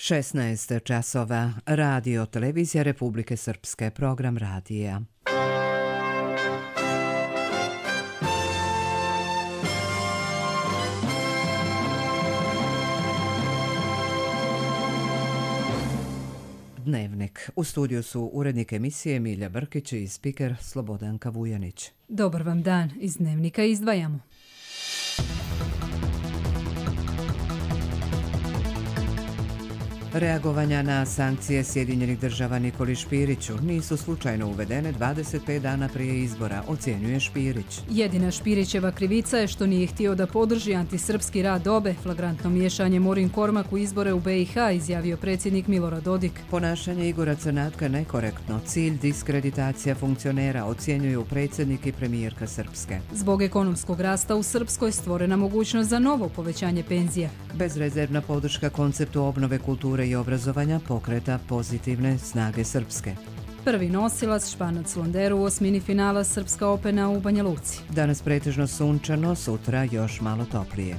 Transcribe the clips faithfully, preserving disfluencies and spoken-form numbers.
šesnaest časova. Radio Televizija Republike Srpske. Program radija. Dnevnik. U studiju su urednik emisije Milja Brkić i spiker Slobodanka Vujanić. Dobar vam dan. Iz Dnevnika izdvajamo. Reagovanja na sankcije Sjedinjenih država Nikoli Špiriću nisu slučajno uvedene dvadeset pet dana prije izbora, ocjenjuje Špirić. Jedina Špirićeva krivica je što nije htio da podrži antisrpski rad obe, flagrantno miješanje Morin Kormak u izbore u B i H, izjavio predsjednik Milorad Dodik. Ponašanje Igora Crnatka nekorektno, cilj diskreditacija funkcionera, ocjenjuju predsjednik i premijerka Srpske. Zbog ekonomskog rasta u Srpskoj stvorena mogućnost za novo povećanje penzija. Bezrezervna podrška konceptu obnove kulture i obrazovanja pokreta Pozitivne snage Srpske. Prvi nosilac Španac Londeru u osmini finala Srpska Opena u Banja Luci. Danas pretežno sunčano, sutra još malo toplije.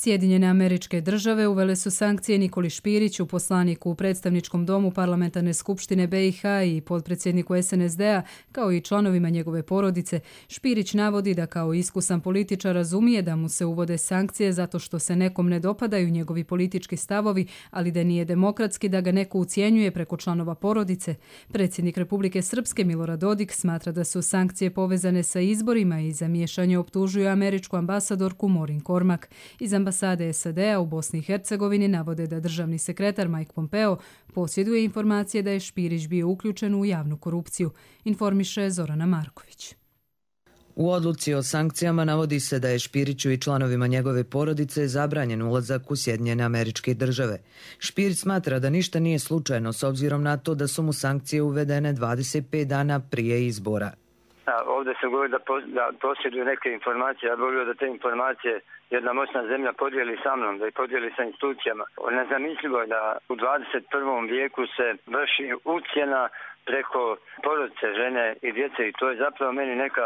Sjedinjene Američke Države uvele su sankcije Nikoli Špiriću, poslaniku u predstavničkom domu Parlamentarne skupštine B i H i potpredsjedniku S N S D-a, kao i članovima njegove porodice. Špirić navodi da kao iskusan političar razumije da mu se uvode sankcije zato što se nekom ne dopadaju njegovi politički stavovi, ali da nije demokratski da ga neko ucijenjuje preko članova porodice. Predsjednik Republike Srpske Milorad Dodik smatra da su sankcije povezane sa izborima i za miješanje optužuje američku ambasadorku Morin Kormak. Iz ambasade S A D-a u Bosni i Hercegovini navode da državni sekretar Mike Pompeo posjeduje informacije da je Špirić bio uključen u javnu korupciju, informiše Zorana Marković. U odluci o sankcijama navodi se da je Špiriću i članovima njegove porodice zabranjen ulazak u Sjedinjene Američke Države. Špirić smatra da ništa nije slučajno s obzirom na to da su mu sankcije uvedene dvadeset pet dana prije izbora. Ovdje se govori da, da posjeduju neke informacije. Ja bih volio da te informacije jedna moćna zemlja podijeli sa mnom, da ih podijeli sa institucijama. Nezamislivo je da u dvadeset prvom vijeku se vrši ucjena preko porodice, žene i djece i to je zapravo meni neka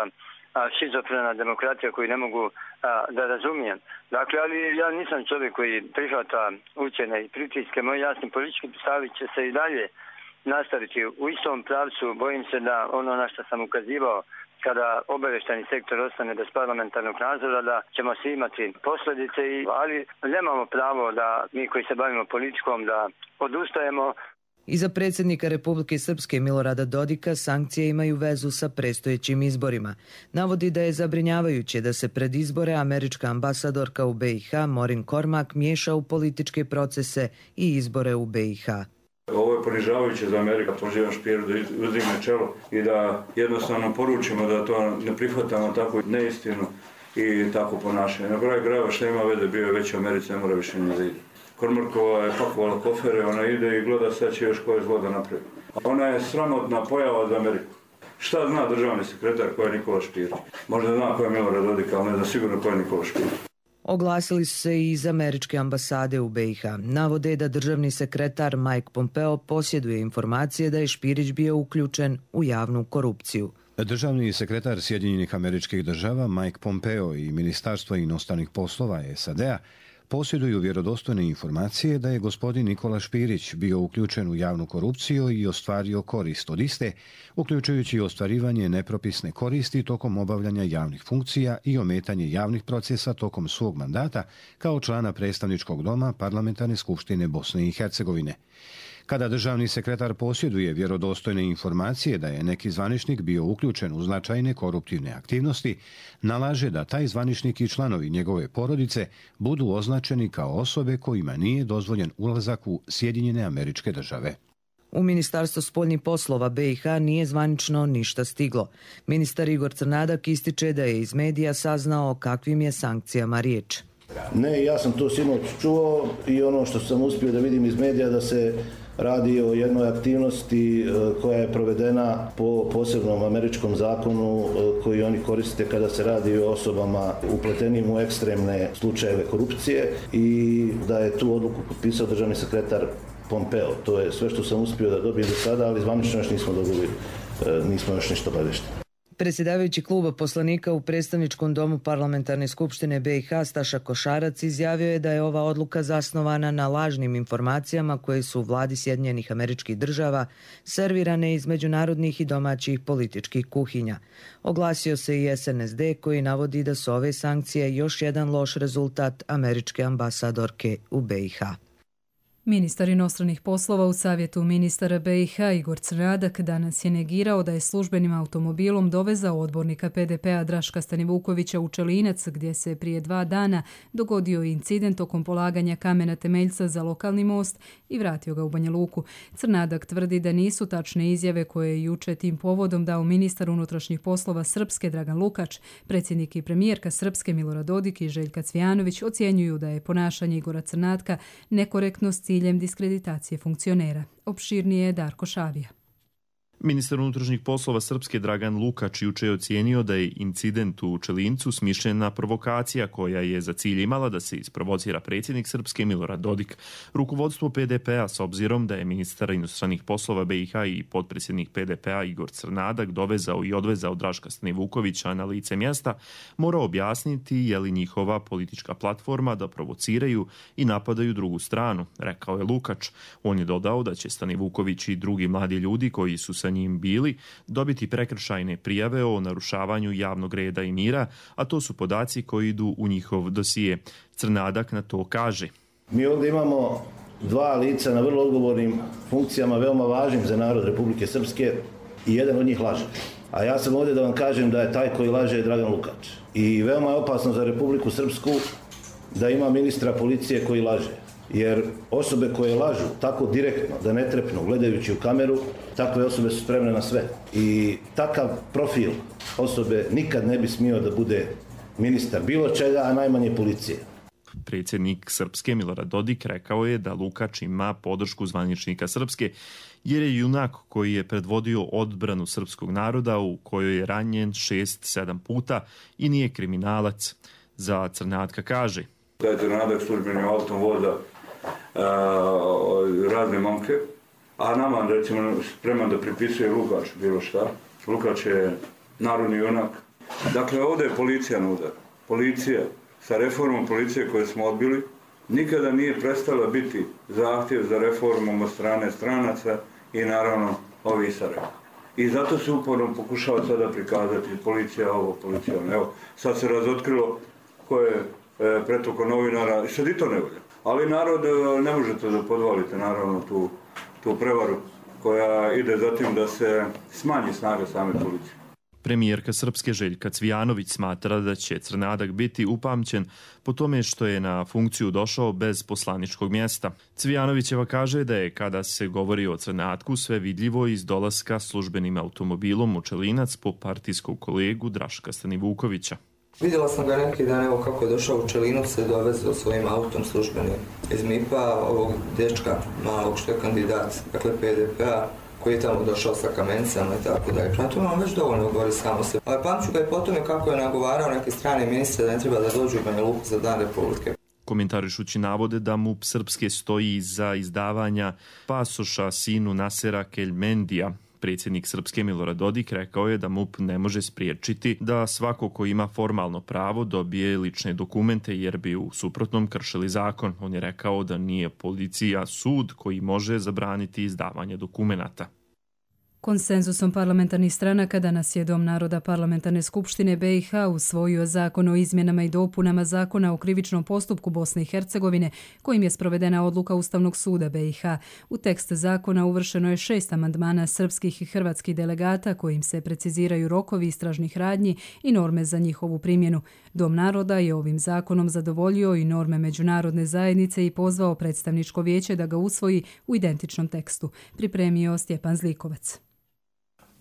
šizofrena demokratija koju ne mogu a, da razumijem. Dakle, ali ja nisam čovjek koji prihvata ucjene i pritiske. Moji jasni politički stavi će se i dalje nastaviti u istom pravcu. Bojim se da ono na što sam ukazivao, kada obavještajni sektor ostane bez parlamentarnog nadzora, da ćemo svi imati posljedice, ali nemamo pravo da mi koji se bavimo politikom da odustajemo. Iza predsjednika Republike Srpske Milorada Dodika sankcije imaju vezu sa predstojećim izborima. Navodi da je zabrinjavajuće da se pred izbore američka ambasadorka u B i H Morin Kormak miješa u političke procese i izbore u B i H. Ovo je ponižavajuće za Amerika, pozivam Špiru da uzdigne čelo i da jednostavno poručimo da to ne prihvatamo tako neistinu i tako ponašanje. Na kraju krajeva što ima vede, bio je već u Americi, ne mora više ni da ide. Kormarkova je pakovala kofere, ona ide i gleda sad će još koje zlo da napravi. Ona je sramotna pojava za Ameriku. Šta zna državni sekretar ko je Nikola Špirić? Možda zna ko je Milorad Dodik, ali ne zna sigurno ko je Nikola Špirić. Oglasili su se i iz američke ambasade u B i H. Navode da državni sekretar Mike Pompeo posjeduje informacije da je Špirić bio uključen u javnu korupciju. Državni sekretar Sjedinjenih Američkih Država Mike Pompeo i Ministarstvo inostranih poslova S A D-a posjeduju vjerodostojne informacije da je gospodin Nikola Špirić bio uključen u javnu korupciju i ostvario korist od iste, uključujući ostvarivanje nepropisne koristi tokom obavljanja javnih funkcija i ometanje javnih procesa tokom svog mandata kao člana predstavničkog doma Parlamentarne skupštine Bosne i Hercegovine. Kada državni sekretar posjeduje vjerodostojne informacije da je neki zvaničnik bio uključen u značajne koruptivne aktivnosti, nalaže da taj zvaničnik i članovi njegove porodice budu označeni kao osobe kojima nije dozvoljen ulazak u Sjedinjene Američke Države. U Ministarstvo spoljnih poslova B i H nije zvanično ništa stiglo. Ministar Igor Crnadak ističe da je iz medija saznao o kakvim je sankcijama riječ. Ne, ja sam to sinoć čuo i ono što sam uspio da vidim iz medija da se radi o jednoj aktivnosti koja je provedena po posebnom američkom zakonu koji oni koriste kada se radi o osobama upletenim u ekstremne slučajeve korupcije i da je tu odluku potpisao državni sekretar Pompeo. To je sve što sam uspio da dobijem do sada, ali zvanično još nismo dobili, nismo još ništa obavešteni. Predsjedavajući kluba poslanika u predstavničkom domu parlamentarne skupštine B i H Staša Košarac izjavio je da je ova odluka zasnovana na lažnim informacijama koje su vladi Sjedinjenih Američkih Država servirane iz međunarodnih i domaćih političkih kuhinja. Oglasio se i S N S D koji navodi da su ove sankcije još jedan loš rezultat američke ambasadorke u B i H. Ministar inostranih poslova u Savjetu ministara B i H Igor Crnadak danas je negirao da je službenim automobilom dovezao odbornika P D P-a Draška Stanivukovića u Čelinac, gdje se prije dva dana dogodio incident tokom polaganja kamena temeljca za lokalni most i vratio ga u Banja Luku. Crnadak tvrdi da nisu tačne izjave koje je juče tim povodom dao ministar unutrašnjih poslova Srpske Dragan Lukač. Predsjednik i premijerka Srpske Milorad Dodik i Željka Cvijanović ocjenjuju da je ponašanje Igora Crnadka nekorektnost ciljem diskreditacije funkcionera. Opširnije je Darko Šavija. Ministar unutrašnjih poslova Srpske Dragan Lukač juče je ocijenio da je incident u Čelincu smišljena provokacija koja je za cilj imala da se isprovocira predsjednik Srpske Milorad Dodik. Rukovodstvo P D P-a, s obzirom da je ministar inostranih poslova B i H i potpredsjednik P D P-a Igor Crnadak dovezao i odvezao Draška Stanivukovića na lice mjesta, mora objasniti je li njihova politička platforma da provociraju i napadaju drugu stranu, rekao je Lukač. On je dodao da će Stanivuković i drugi mladi ljudi koji su sa njim bili dobiti prekršajne prijave o narušavanju javnog reda i mira, a to su podaci koji idu u njihov dosije. Crnadak na to kaže: Mi ovdje imamo dva lica na vrlo odgovornim funkcijama, veoma važnim za narod Republike Srpske i jedan od njih laže. A ja sam ovdje da vam kažem da je taj koji laže je Dragan Lukač. I veoma je opasno za Republiku Srpsku da ima ministra policije koji laže. Jer osobe koje lažu tako direktno, da ne trepnu gledajući u kameru, takve osobe su spremne na sve. I takav profil osobe nikad ne bi smio da bude ministar bilo čega, a najmanje policije. Predsjednik Srpske Milorad Dodik rekao je da Lukač ima podršku zvaničnika Srpske, jer je junak koji je predvodio odbranu srpskog naroda u kojoj je ranjen šest sedam puta i nije kriminalac. Za Crnadka kaže: Da je Crnadak službenim autom voza razne momke, a nama recimo spreman da pripisuje Lukač bilo šta. Lukač je narodni junak. Dakle, ovdje je policija na udaru. Policija sa reformom policije koje smo odbili nikada nije prestala biti zahtjev za reformom od strane stranaca i naravno ovi Sarajeva. I zato se uporno pokušava sada prikazati policija ovo, policija ono. Evo, sad se razotkrilo ko je e, pretoko novinara, sad i to ne volja. Ali narod, ne možete da podvalite naravno tu, tu prevaru koja ide za tim da se smanji snaga same policije. Premijerka Srpske Željka Cvijanović smatra da će Crnadak biti upamćen po tome što je na funkciju došao bez poslaničkog mjesta. Cvijanovićeva kaže da je, kada se govori o Crnatku, sve vidljivo iz dolaska službenim automobilom u Čelinac po partijskog kolegu Draška Stanivukovića. Vidjela sam ga neki dan, evo kako je došao u Čelinac, se dovezao svojim autom službenim iz M I P-a, ovog dječka malog što je kandidat, dakle P D P-a, koji je tamo došao sa kamencama i tako dalje. Prema tome on već dovoljno govori samo se. Ali pamću ga i po tome kako je nagovarao neke strane ministre da ne treba da dođu u Banja Luku za Dan Republike. Komentarišući navode da M U P Srpske stoji iza izdavanja pasoša sinu Nasera Keljmendija, predsjednik Srpske Milorad Dodik rekao je da M U P ne može spriječiti da svako ko ima formalno pravo dobije lične dokumente jer bi u suprotnom kršili zakon. On je rekao da nije policija sud koji može zabraniti izdavanje dokumenata. Konsenzusom parlamentarnih stranaka danas je Dom naroda Parlamentarne skupštine B i H usvojio zakon o izmjenama i dopunama zakona o krivičnom postupku Bosne i Hercegovine, kojim je sprovedena odluka Ustavnog suda B i H. U tekst zakona uvršeno je šest amandmana srpskih i hrvatskih delegata kojim se preciziraju rokovi istražnih radnji i norme za njihovu primjenu. Dom naroda je ovim zakonom zadovoljio i norme međunarodne zajednice i pozvao predstavničko vijeće da ga usvoji u identičnom tekstu. Pripremio Stjepan Zlikovac.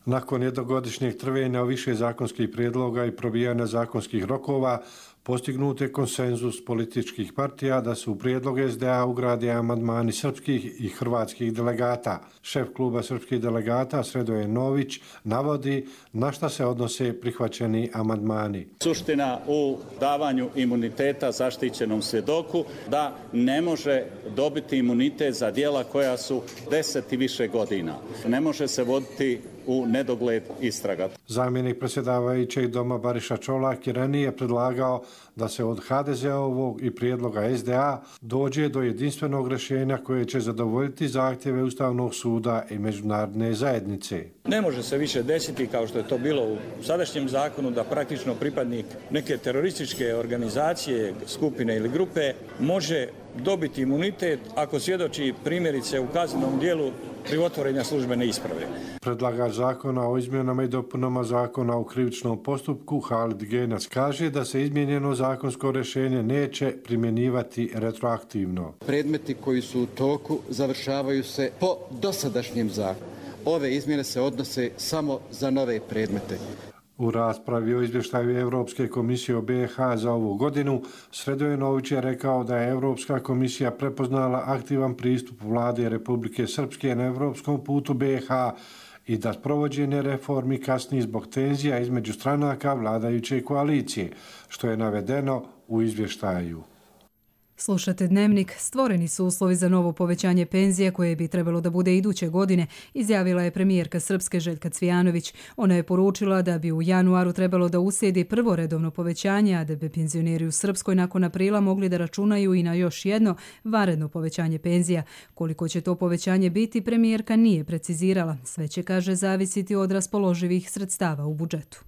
Nakon jednogodišnjeg trvenja o više zakonskih prijedloga i probijanja zakonskih rokova, postignut je konsenzus političkih partija da se u prijedlog S D A ugrade amandmani srpskih i hrvatskih delegata. Šef kluba srpskih delegata Sredoje Nović navodi na šta se odnose prihvaćeni amandmani. Suština u davanju imuniteta zaštićenom svjedoku da ne može dobiti imunitet za djela koja su deset i više godina. Ne može se voditi u nedogled istraga. Zamjenik predsjedavajućeg doma Bariša Čolak je ranije predlagao da se od ha de ze ovog i prijedloga es de a dođe do jedinstvenog rješenja koje će zadovoljiti zahtjeve Ustavnog suda i međunarodne zajednice. Ne može se više desiti, kao što je to bilo u sadašnjem zakonu, da praktično pripadnik neke terorističke organizacije, skupine ili grupe može dobiti imunitet ako svjedoči primjerice u kaznenom dijelu krivotvorenja službene isprave. Predlagač zakona o izmjenama i dopunama zakona o krivičnom postupku Halid Genac kaže da se izmijenjeno zakonsko rješenje neće primjenjivati retroaktivno. Predmeti koji su u toku završavaju se po dosadašnjem zakonu. Ove izmjene se odnose samo za nove predmete. U raspravi o izvještaju Europske komisije o be ha za ovu godinu, Sredojenović je rekao da je Europska komisija prepoznala aktivan pristup vlade Republike Srpske na europskom putu be ha i da provođenje reformi kasni zbog tenzija između stranaka vladajuće koalicije, što je navedeno u izvještaju. Slušate Dnevnik. Stvoreni su uslovi za novo povećanje penzija koje bi trebalo da bude iduće godine, izjavila je premijerka Srpske Željka Cvijanović. Ona je poručila da bi u januaru trebalo da uslijedi prvo redovno povećanje, a da bi penzioneri u Srpskoj nakon aprila mogli da računaju i na još jedno vanredno povećanje penzija. Koliko će to povećanje biti, premijerka nije precizirala. Sve će, kaže, zavisiti od raspoloživih sredstava u budžetu.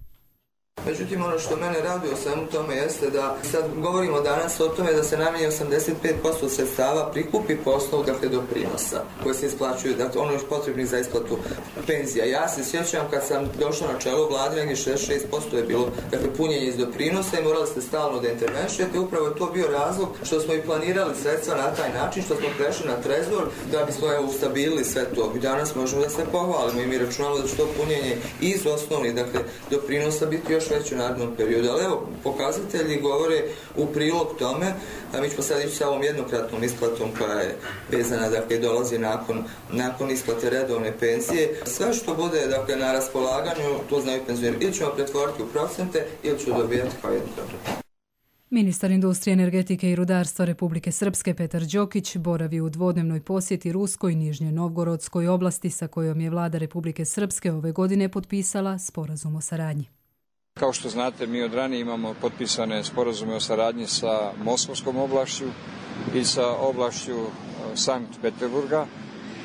Međutim, ono što mene raduje o svemu tome jeste da sad govorimo danas o tome da se najmanje osamdeset pet posto sredstava prikupi po osnovu, dakle, doprinosa koje se isplaćuju, dakle, ono još potrebnih za isplatu penzija. Ja se sjećam kad sam došao na čelo vlade, negdje šezdeset šest posto je bilo, dakle, punjenje iz doprinosa i morali ste stalno da intervenšujete. Upravo je to bio razlog što smo i planirali sredstva na taj način, što smo prešli na trezor da bismo evo ustabilili sve to. I danas možemo da se pohvalimo i mi računamo da će to punjenje iz osnovnih, dakle, doprinosa biti još već u narednom periodu. Ali evo, pokazatelji govore u prilog tome, a mi ćemo sad ići sa ovom jednokratnom isplatom koja je vezana, dakle, dolazi nakon, nakon isplate redovne penzije. Sve što bude, dakle, na raspolaganju, to znaju penzioneri, ili ćemo pretvoriti u procente, ili ću dobijati kao jednokratno. Ministar industrije, energetike i rudarstva Republike Srpske Petar Đokić boravi u dvodnevnoj posjeti Ruskoj i Nižnje Novgorodskoj oblasti sa kojom je vlada Republike Srpske ove godine potpisala sporazum o saradnji. Kao što znate, mi od ranije imamo potpisane sporazume o saradnji sa Moskovskom oblašću i sa oblašću Sankt Peterburga.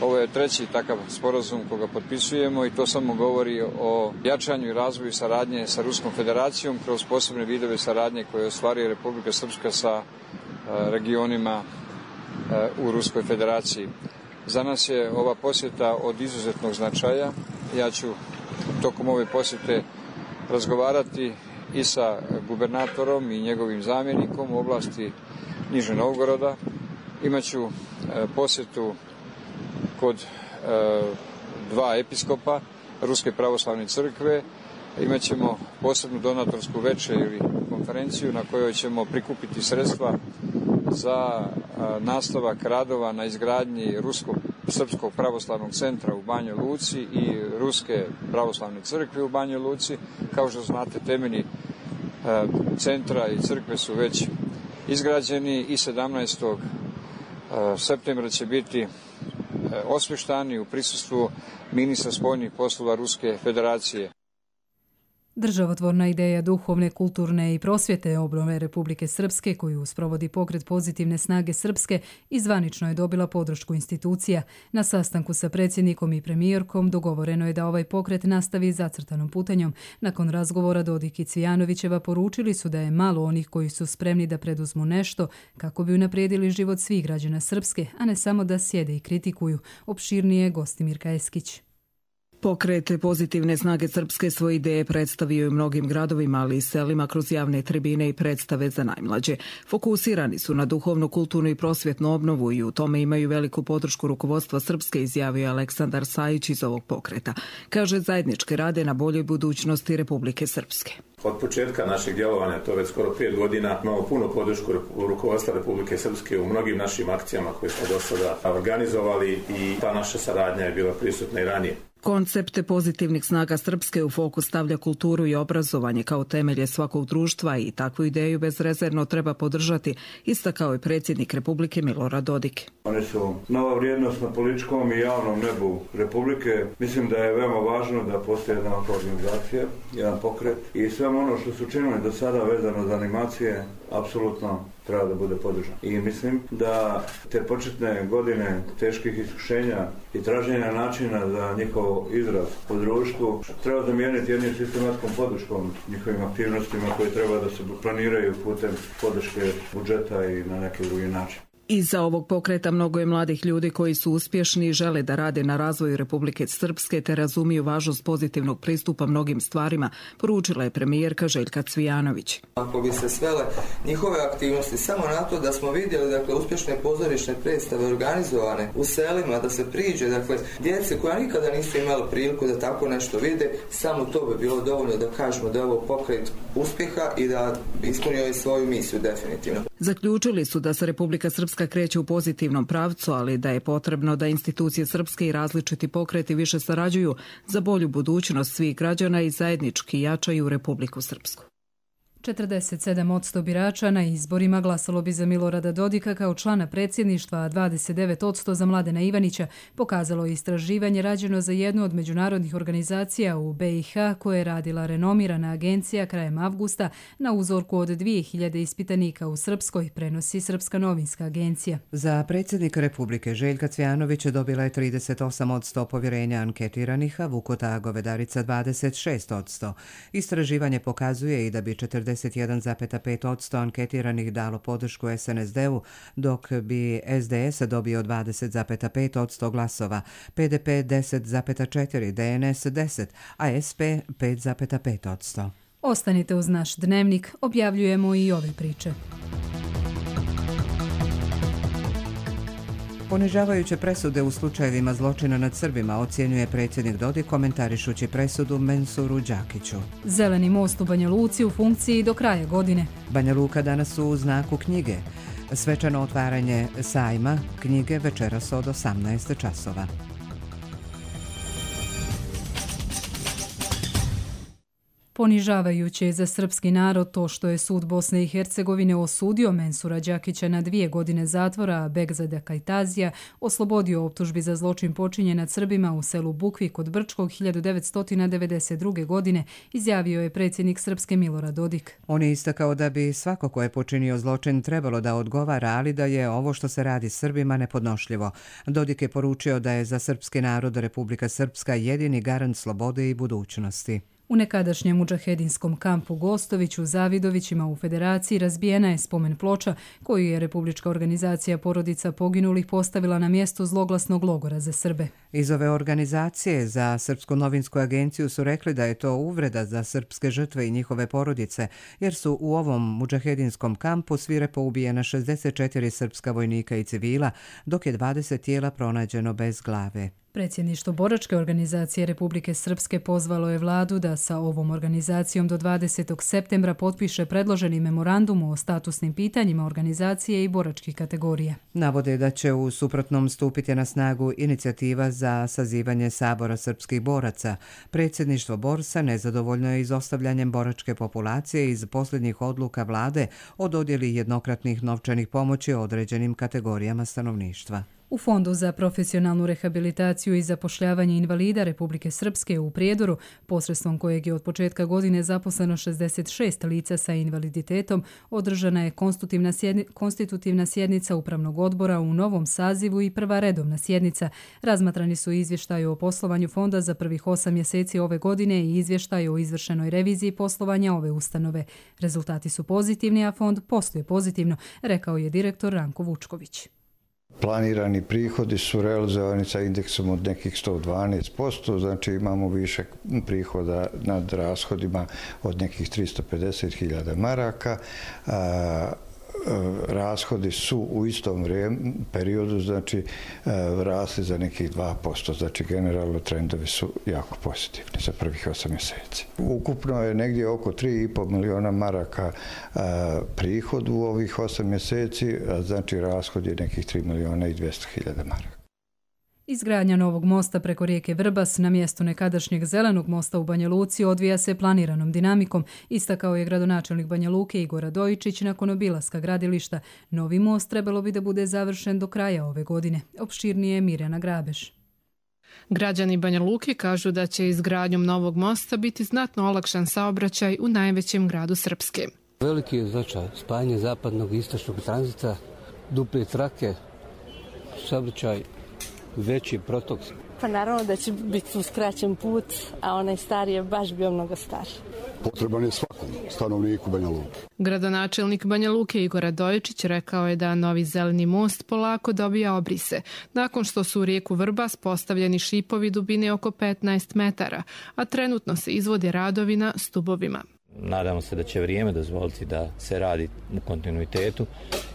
Ovo je treći takav sporazum koga potpisujemo i to samo govori o jačanju i razvoju saradnje sa Ruskom federacijom kroz posebne vidove saradnje koje ostvaruje Republika Srpska sa regionima u Ruskoj federaciji. Za nas je ova posjeta od izuzetnog značaja. Ja ću tokom ove posjete razgovarati i sa gubernatorom i njegovim zamjenikom u oblasti Nižnog Novgoroda. Imaću posjetu kod e, dva episkopa Ruske pravoslavne crkve. Imaćemo posebnu donatorsku večer ili konferenciju na kojoj ćemo prikupiti sredstva za a, nastavak radova na izgradnji Ruskog Srpskog pravoslavnog centra u Banjoj Luci i Ruske pravoslavne crkve u Banjoj Luci. Kao što znate, temelji a, centra i crkve su već izgrađeni i sedamnaestog septembra će biti osvještani u prisustvu ministra spoljnih poslova Ruske federacije. Državotvorna ideja duhovne, kulturne i prosvjete obnove Republike Srpske, koju sprovodi pokret Pozitivne snage Srpske, izvanično je dobila podršku institucija. Na sastanku sa predsjednikom i premijerkom dogovoreno je da ovaj pokret nastavi zacrtanom putanjom. Nakon razgovora Dodik i Cvijanovićeva poručili su da je malo onih koji su spremni da preduzmu nešto kako bi unaprijedili život svih građana Srpske, a ne samo da sjede i kritikuju. Opširnije Gostimirka Eskić. Pokret Pozitivne snage Srpske svoje ideje predstavio u mnogim gradovima, ali i selima kroz javne tribine i predstave za najmlađe. Fokusirani su na duhovnu, kulturnu i prosvjetnu obnovu i u tome imaju veliku podršku rukovodstva Srpske, izjavio Aleksandar Sajić iz ovog pokreta. Kaže, zajednički rade na boljoj budućnosti Republike Srpske. Od početka našeg djelovanja, to već skoro pet godina, imamo puno podršku rukovodstva Republike Srpske u mnogim našim akcijama koje smo do sada organizovali i ta naša saradnja je bila prisutna i ranije. Koncept pozitivnih snaga Srpske u fokus stavlja kulturu i obrazovanje kao temelje svakog društva i takvu ideju bezrezervno treba podržati, istakao je predsjednik Republike Milorad Dodik. Oni su nova vrijednost na političkom i javnom nebu Republike. Mislim da je veoma važno da postoji jedna organizacija, jedan pokret i sve ono što su činili do sada vezano za animacije, apsolutno treba da bude podržan. I mislim da te početne godine teških iskušenja i traženja načina za njihov izraz u društvu treba zamijeniti jednim sistematskom podrškom njihovim aktivnostima koje treba da se planiraju putem podrške budžeta i na neki drugi način. Iza ovog pokreta mnogo je mladih ljudi koji su uspješni i žele da rade na razvoju Republike Srpske te razumiju važnost pozitivnog pristupa mnogim stvarima, poručila je premijerka Željka Cvijanović. Ako bi se svele njihove aktivnosti samo na to da smo vidjeli dakle, uspješne pozorišne predstave organizovane u selima, da se priđe, dakle, djece koja nikada nisu imala priliku da tako nešto vide, samo to bi bilo dovoljno da kažemo da je ovo pokret uspjeha i da ispunio je svoju misiju definitivno. Zaključili su da se Republika Srpska kreće u pozitivnom pravcu, ali da je potrebno da institucije srpske i različiti pokreti više sarađuju za bolju budućnost svih građana i zajednički jačaju Republiku Srpsku. četrdeset sedam posto birača na izborima glasalo bi za Milorada Dodika kao člana predsjedništva, a dvadeset devet posto za Mladena Ivanića, pokazalo je istraživanje rađeno za jednu od međunarodnih organizacija u B i H koje je radila renomirana agencija krajem avgusta na uzorku od dvije hiljade ispitanika u Srpskoj, prenosi Srpska novinska agencija. Za predsjednika Republike Željka Cvijanovića dobila je trideset osam posto povjerenja anketiranih, a Vukota Govedarica dvadeset šest posto. Istraživanje pokazuje i da bi četrdeset jedan zarez pet posto anketiranih dalo podršku S N S D-u, dok bi S D S dobio dvadeset zarez pet posto glasova, P D P deset zarez četiri, D N S deset, a S P pet zarez pet posto. Ostanite uz naš dnevnik, objavljujemo i ove priče. Ponižavajuće presude u slučajevima zločina nad Srbima ocjenjuje predsjednik Dodik komentarišući presudu Mensuru Đakiću. Zeleni most u Banja Luci u funkciji do kraja godine. Banja Luka danas u znaku knjige. Svečano otvaranje sajma knjige večeras od osamnaest časova. Ponižavajuće je za srpski narod to što je sud Bosne i Hercegovine osudio Mensura Đakića na dvije godine zatvora, a Begzada Kajtazija oslobodio optužbi za zločin počinjen nad Srbima u selu Bukvi kod Brčkog hiljadu devetsto devedeset druge. godine, izjavio je predsjednik Srpske Milorad Dodik. On je istakao da bi svako ko je počinio zločin trebalo da odgovara, ali da je ovo što se radi Srbima nepodnošljivo. Dodik je poručio da je za srpski narod Republika Srpska jedini garant slobode i budućnosti. U nekadašnjem mudžahedinskom kampu Gostović u Zavidovićima u Federaciji razbijena je spomen ploča koju je Republička organizacija porodica poginulih postavila na mjesto zloglasnog logora za Srbe. Iz ove organizacije za Srpsku novinsku agenciju su rekli da je to uvreda za srpske žrtve i njihove porodice, jer su u ovom mudžahedinskom kampu svirepo ubijena šezdeset četiri srpska vojnika i civila, dok je dvadeset tijela pronađeno bez glave. Predsjedništvo Boračke organizacije Republike Srpske pozvalo je vladu da sa ovom organizacijom do dvadesetog septembra potpiše predloženi memorandum o statusnim pitanjima organizacije i boračkih kategorija. Navode da će u suprotnom stupiti na snagu inicijativa za sazivanje sabora srpskih boraca. Predsjedništvo Borsa nezadovoljno je izostavljanjem boračke populacije iz posljednjih odluka vlade o dodjeli jednokratnih novčanih pomoći određenim kategorijama stanovništva. U Fondu za profesionalnu rehabilitaciju i zapošljavanje invalida Republike Srpske u Prijedoru, posredstvom kojeg je od početka godine zaposleno šezdeset šest lica sa invaliditetom, održana je konstitutivna, sjedni, konstitutivna sjednica Upravnog odbora u novom sazivu i prva redovna sjednica. Razmatrani su izvještaji o poslovanju Fonda za prvih osam mjeseci ove godine i izvještaj o izvršenoj reviziji poslovanja ove ustanove. Rezultati su pozitivni, a Fond posluje pozitivno, rekao je direktor Ranko Vučković. Planirani prihodi su realizovani sa indeksom od nekih sto dvanaest posto, znači imamo više prihoda nad rashodima od nekih tristo pedeset hiljada maraka. A, rashodi su u istom vrijeme, periodu, znači rasli za nekih dva posto, znači generalno trendovi su jako pozitivni za prvih osam mjeseci. Ukupno je negdje oko tri i pol miliona maraka a, prihod u ovih osam mjeseci, a znači rashod je nekih tri miliona i dvjesto hiljada maraka. Izgradnja novog mosta preko rijeke Vrbas na mjestu nekadašnjeg zelenog mosta u Banja Luci odvija se planiranom dinamikom, istakao je gradonačelnik Banja Luke Igor Radojičić nakon obilaska gradilišta. Novi most trebalo bi da bude završen do kraja ove godine. Opširnije Mirjana Grabeš. Građani Banja Luke kažu da će izgradnjom novog mosta biti znatno olakšan saobraćaj u najvećem gradu Srpske. Veliki je značaj spajanje zapadnog i istočnog tranzita, duple trake, saobraćaj, veći protok. Pa naravno da će biti uskraćen put, a onaj stari je baš bio mnogo stariji. Potreban je svakom stanovniku Banja Luke. Gradonačelnik Banja Luke Igor Radojičić rekao je da novi zeleni most polako dobija obrise, nakon što su u rijeku Vrbas postavljeni šipovi dubine oko petnaest metara, a trenutno se izvode radovi na stubovima. Nadamo se da će vrijeme dozvoliti da se radi u kontinuitetu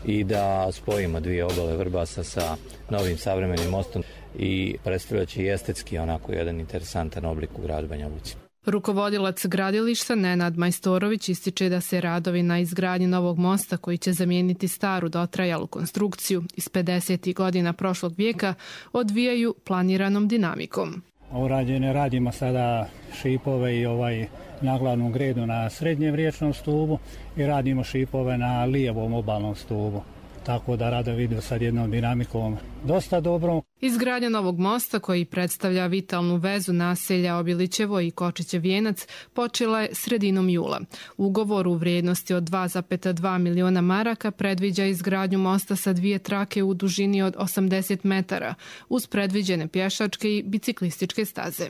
i da spojimo dvije obale Vrbasa sa novim savremenim mostom i predstavljat će i estetski onako jedan interesantan oblik u gradu Banja Luci. Rukovodilac gradilišta Nenad Majstorović ističe da se radovi na izgradnji novog mosta koji će zamijeniti staru dotrajalu konstrukciju iz pedesetih godina prošlog vijeka odvijaju planiranom dinamikom. Urađene radimo sada šipove i ovaj na glavnom gredu na srednjem riječnom stubu i radimo šipove na lijevom obalnom stubu. Tako da radovi idu sad jednom dinamikom dosta dobro. Izgradnja novog mosta koji predstavlja vitalnu vezu naselja Obilićevo i Kočićev Vijenac počela je sredinom jula. Ugovor u vrijednosti od dva zarez dva miliona maraka predviđa izgradnju mosta sa dvije trake u dužini od osamdeset metara uz predviđene pješačke i biciklističke staze.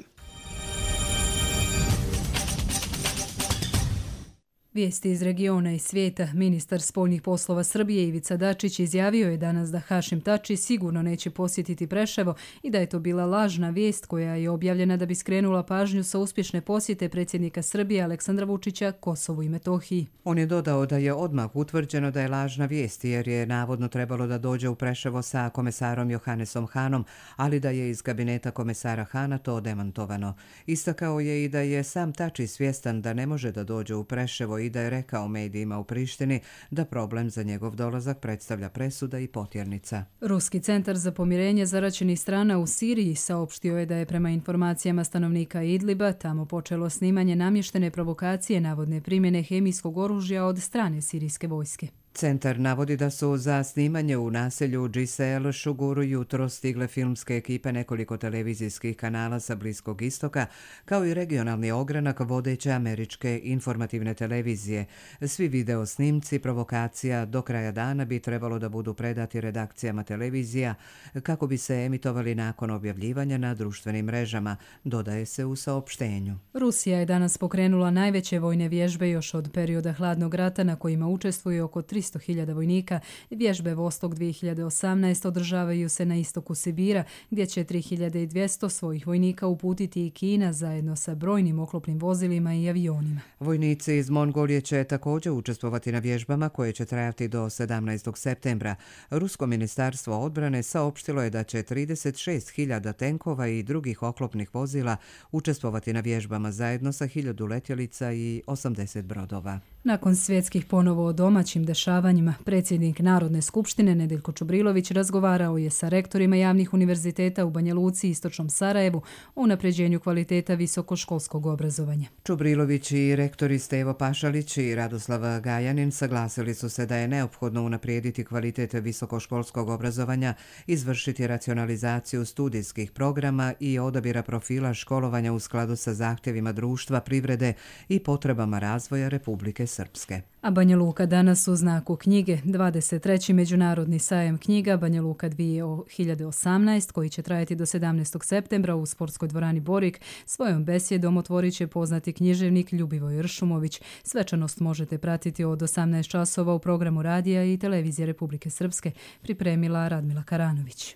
Vijesti iz regiona i svijeta. Ministar spoljnih poslova Srbije Ivica Dačić izjavio je danas da Hašim Tači sigurno neće posjetiti Preševo i da je to bila lažna vijest koja je objavljena da bi skrenula pažnju sa uspješne posjete predsjednika Srbije Aleksandra Vučića Kosovu i Metohiji. On je dodao da je odmah utvrđeno da je lažna vijest jer je navodno trebalo da dođe u Preševo sa komesarom Johannesom Hanom, ali da je iz kabineta komesara Hana to demantovano. Istakao je i da je sam Tači svjestan da ne može da dođe u Preševo i da je rekao medijima u Prištini da problem za njegov dolazak predstavlja presuda i potjernica. Ruski centar za pomirenje zaraćenih strana u Siriji saopštio je da je prema informacijama stanovnika Idliba tamo počelo snimanje namještene provokacije navodne primjene hemijskog oružja od strane sirijske vojske. Centar navodi da su za snimanje u naselju Džisel Šuguru jutro stigle filmske ekipe nekoliko televizijskih kanala sa Bliskog istoka, kao i regionalni ogranak vodeće američke informativne televizije. Svi video snimci provokacija do kraja dana bi trebalo da budu predati redakcijama televizija kako bi se emitovali nakon objavljivanja na društvenim mrežama, dodaje se u saopštenju. Rusija je danas pokrenula najveće vojne vježbe još od perioda hladnog rata na kojima učestvuje oko tristo hiljada vojnika. Vježbe Vostok dvije hiljade osamnaest održavaju se na istoku Sibira, gdje će tri hiljade dvjesto svojih vojnika uputiti i Kina zajedno sa brojnim oklopnim vozilima i avionima. Vojnici iz Mongolije će također učestvovati na vježbama koje će trajati do sedamnaestog septembra. Rusko ministarstvo odbrane saopštilo je da će trideset šest hiljada tenkova i drugih oklopnih vozila učestvovati na vježbama zajedno sa hiljadu letjelica i osamdeset brodova. Nakon svjetskih ponovo o domaćim dešavanjima, predsjednik Narodne skupštine Nedeljko Čubrilović razgovarao je sa rektorima javnih univerziteta u Banja Luci i Istočnom Sarajevu o unapređenju kvaliteta visokoškolskog obrazovanja. Čubrilović i rektori Stevo Pašalić i Radoslav Gajanin saglasili su se da je neophodno unaprijediti kvalitet visokoškolskog obrazovanja, izvršiti racionalizaciju studijskih programa i odabira profila školovanja u skladu sa zahtjevima društva, privrede i potrebama razvoja Republike Srpske. A Banja Luka danas u znaku knjige, dvadeset treći Međunarodni sajam knjiga Banja Luka dvije hiljade osamnaest, koji će trajati do sedamnaestog septembra u sportskoj dvorani Borik, svojom besjedom otvorit će poznati književnik Ljubivoj Ršumović. Svečanost možete pratiti od osamnaest časova u programu radija i televizije Republike Srpske, pripremila Radmila Karanović.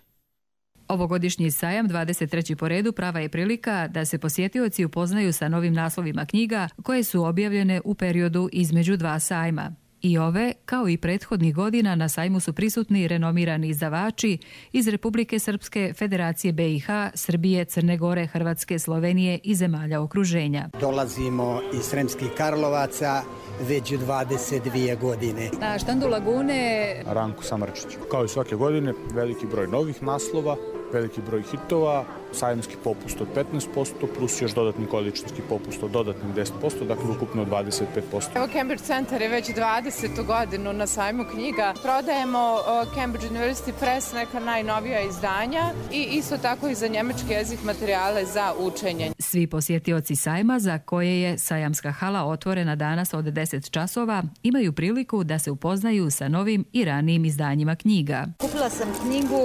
Ovogodišnji sajam, dvadeset treći po redu, prava je prilika da se posjetioci upoznaju sa novim naslovima knjiga koje su objavljene u periodu između dva sajma. I ove, kao i prethodnih godina, na sajmu su prisutni renomirani izdavači iz Republike Srpske, Federacije B i H, Srbije, Crne Gore, Hrvatske, Slovenije i zemalja okruženja. Dolazimo iz Sremskih Karlovaca već dvadeset dvije godine. Na štandu Lagune Ranko Samrčić. Kao i svake godine, veliki broj novih naslova veliki broj hitova, sajamski popust od petnaest posto plus još dodatni količnički popust od dodatnih deset posto, dakle ukupno dvadeset pet posto. Evo Cambridge Center je već dvadesetu godinu na sajmu knjiga. Prodajemo Cambridge University Press, neka najnovija izdanja i isto tako i za njemački jezik materijale za učenje. Svi posjetioci sajma, za koje je sajamska hala otvorena danas od deset časova, imaju priliku da se upoznaju sa novim i ranijim izdanjima knjiga. Kupila sam knjigu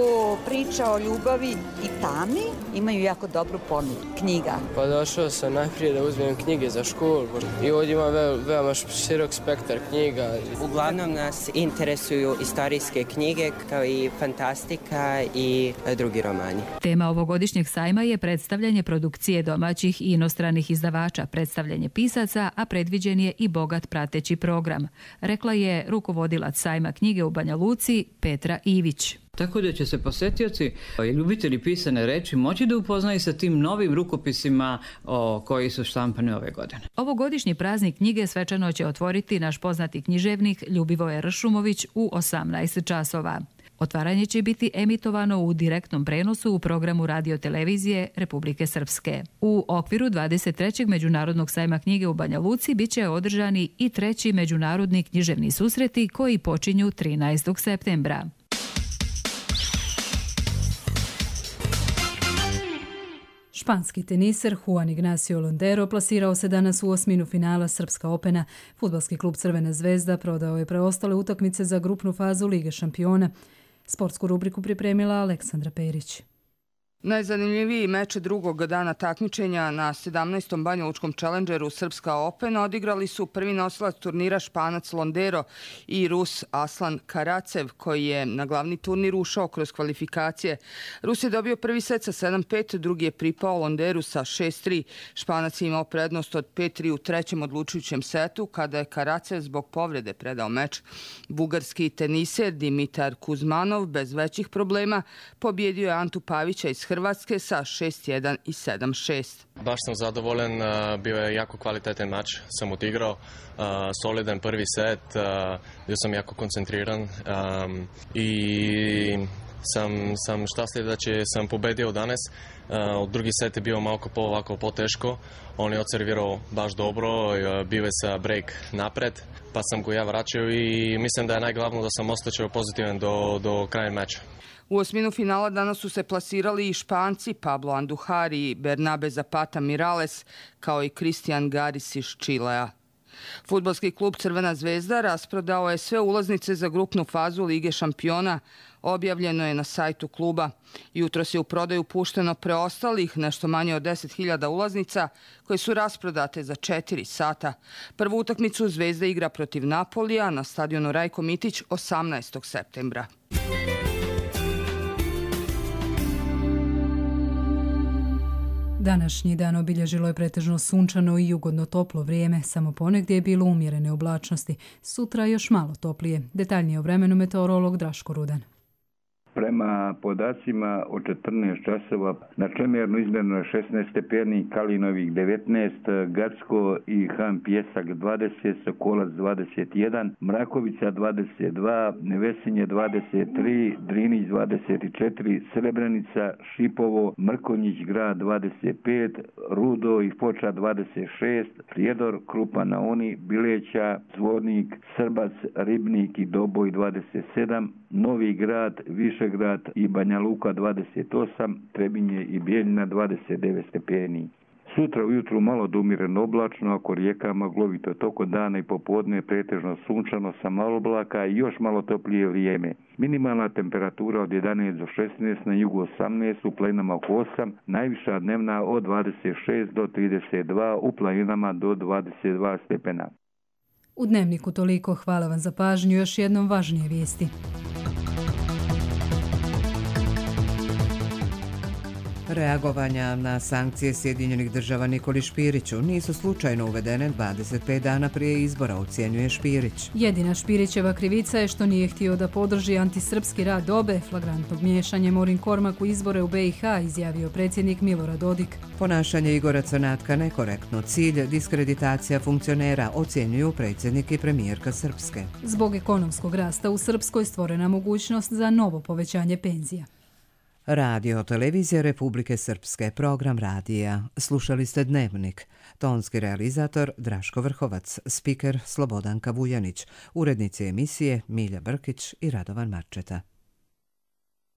Priča o ljubavi i tami. Imaju jako dobru ponudu knjiga. Pa došao sam najprije da uzmem knjige za školu i ovdje ima ve, veoma širok spektar knjiga. Uglavnom nas interesuju istorijske knjige kao i fantastika i drugi romani. Tema ovogodišnjeg sajma je predstavljanje produkcije domaćih i inostranih izdavača, predstavljanje pisaca, a predviđen je i bogat prateći program, rekla je rukovodilac sajma knjige u Banja Luci Petra Ivić. Tako da će se posjetioci i ljubitelji pisane reči moći da upoznaju sa tim novim rukopisima o, koji su štampani ove godine. Ovogodišnji praznik knjige svečano će otvoriti naš poznati književnik Ljubivoje Ršumović u osamnaest časova. Otvaranje će biti emitovano u direktnom prenosu u programu radiotelevizije Republike Srpske. U okviru dvadeset trećeg Međunarodnog sajma knjige u Banja Luci biće održani i treći međunarodni književni susreti koji počinju trinaestog septembra. Španski teniser Juan Ignacio Londero plasirao se danas u osminu finala Srpska Opena. Fudbalski klub Crvena zvezda prodao je preostale utakmice za grupnu fazu Lige šampiona. Sportsku rubriku pripremila Aleksandra Perić. Najzanimljiviji meč drugog dana takmičenja na sedamnaestom banjalučkom Challengeru Srpska Open odigrali su prvi nosilac turnira Španac Londero i Rus Aslan Karacev, koji je na glavni turnir ušao kroz kvalifikacije. Rus je dobio prvi set sa sedam pet, drugi je pripao Londeru sa šest tri. Španac je imao prednost od pet tri u trećem odlučujućem setu, kada je Karacev zbog povrede predao meč. Bugarski teniser Dimitar Kuzmanov bez većih problema pobjedio je Antu Pavića iz Hrvatske sa šest jedan i sedam šest. Baš sam zadovoljan, bio je jako kvalitetan mač, sam odigrao, solidan prvi set, bio sam jako koncentriran i sam, sam štastljiv da će sam pobedio danas. Uh, drugi set je bio malo po ovako poteško, on je odservirao baš dobro, bio je sa break napred, pa sam go ja vraćao i mislim da je najglavno da sam ostao pozitivan do, do kraja meča. U osminu finala danas su se plasirali i Španci Pablo Andujar i Bernabe Zapata Mirales, kao i Cristian Garis iz Čilea. Fudbalski klub Crvena zvezda rasprodao je sve ulaznice za grupnu fazu Lige šampiona, objavljeno je na sajtu kluba. Jutros je u prodaju pušteno preostalih nešto manje od deset hiljada ulaznica koje su rasprodate za četiri sata. Prvu utakmicu Zvezda igra protiv Napolija na stadionu Rajko Mitić osamnaestog septembra. Današnji dan obilježilo je pretežno sunčano i ugodno toplo vrijeme, samo ponegdje je bilo umjerene oblačnosti. Sutra još malo toplije. Detaljnije o vremenu meteorolog Draško Rudan. Prema podacima od četrnaest časova na Čemernu izmjereno je šesnaest stepeni, Kalinovih devetnaest, Gacko i Han Pjesak dvadeset, Sokolac dvadeset jedan, Mrakovica dvadeset dva, Vesinje dvadeset tri, Drinić dvadeset četiri, Srebrenica, Šipovo, Mrkonjić grad dvadeset pet, Rudo i Foča dvadeset šest, Prijedor, Krupa na Oni, Bileća, Zvornik, Srbac, Ribnik i Doboj dvadeset sedam, Novi grad, Višegrad i Banja Luka dvadeset osam, Trebinje i Bijeljina dvadeset devet stepeni. Sutra ujutru malo do umjereno oblačno, ako rijekama glovito toko dana i popodne pretežno sunčano sa malo oblaka i još malo toplije vrijeme. Minimalna temperatura od jedanaest do šesnaest, na jugu osamnaest, u planinama oko osam, najviša dnevna od dvadeset šest do trideset dva, u planinama do dvadeset dva stepena. U Dnevniku toliko, hvala vam za pažnju, još jednom važnije vijesti. Reagovanja na sankcije Sjedinjenih država Nikoli Špiriću nisu slučajno uvedene dvadeset pet dana prije izbora, ocjenjuje Špirić. Jedina Špirićeva krivica je što nije htio da podrži antisrpski rad dobe, flagrantnog miješanja Morin Kormak u izbore u be i ha, izjavio predsjednik Milorad Dodik. Ponašanje Igora Crnatka nekorektno, cilj diskreditacija funkcionera, ocjenjuju predsjednik i premijerka Srpske. Zbog ekonomskog rasta u Srpskoj stvorena mogućnost za novo povećanje penzija. Radio Televizija Republike Srpske, program radija. Slušali ste Dnevnik. Tonski realizator Draško Vrhovac, spiker Slobodanka Vujanić, urednici emisije Milja Brkić i Radovan Marčeta.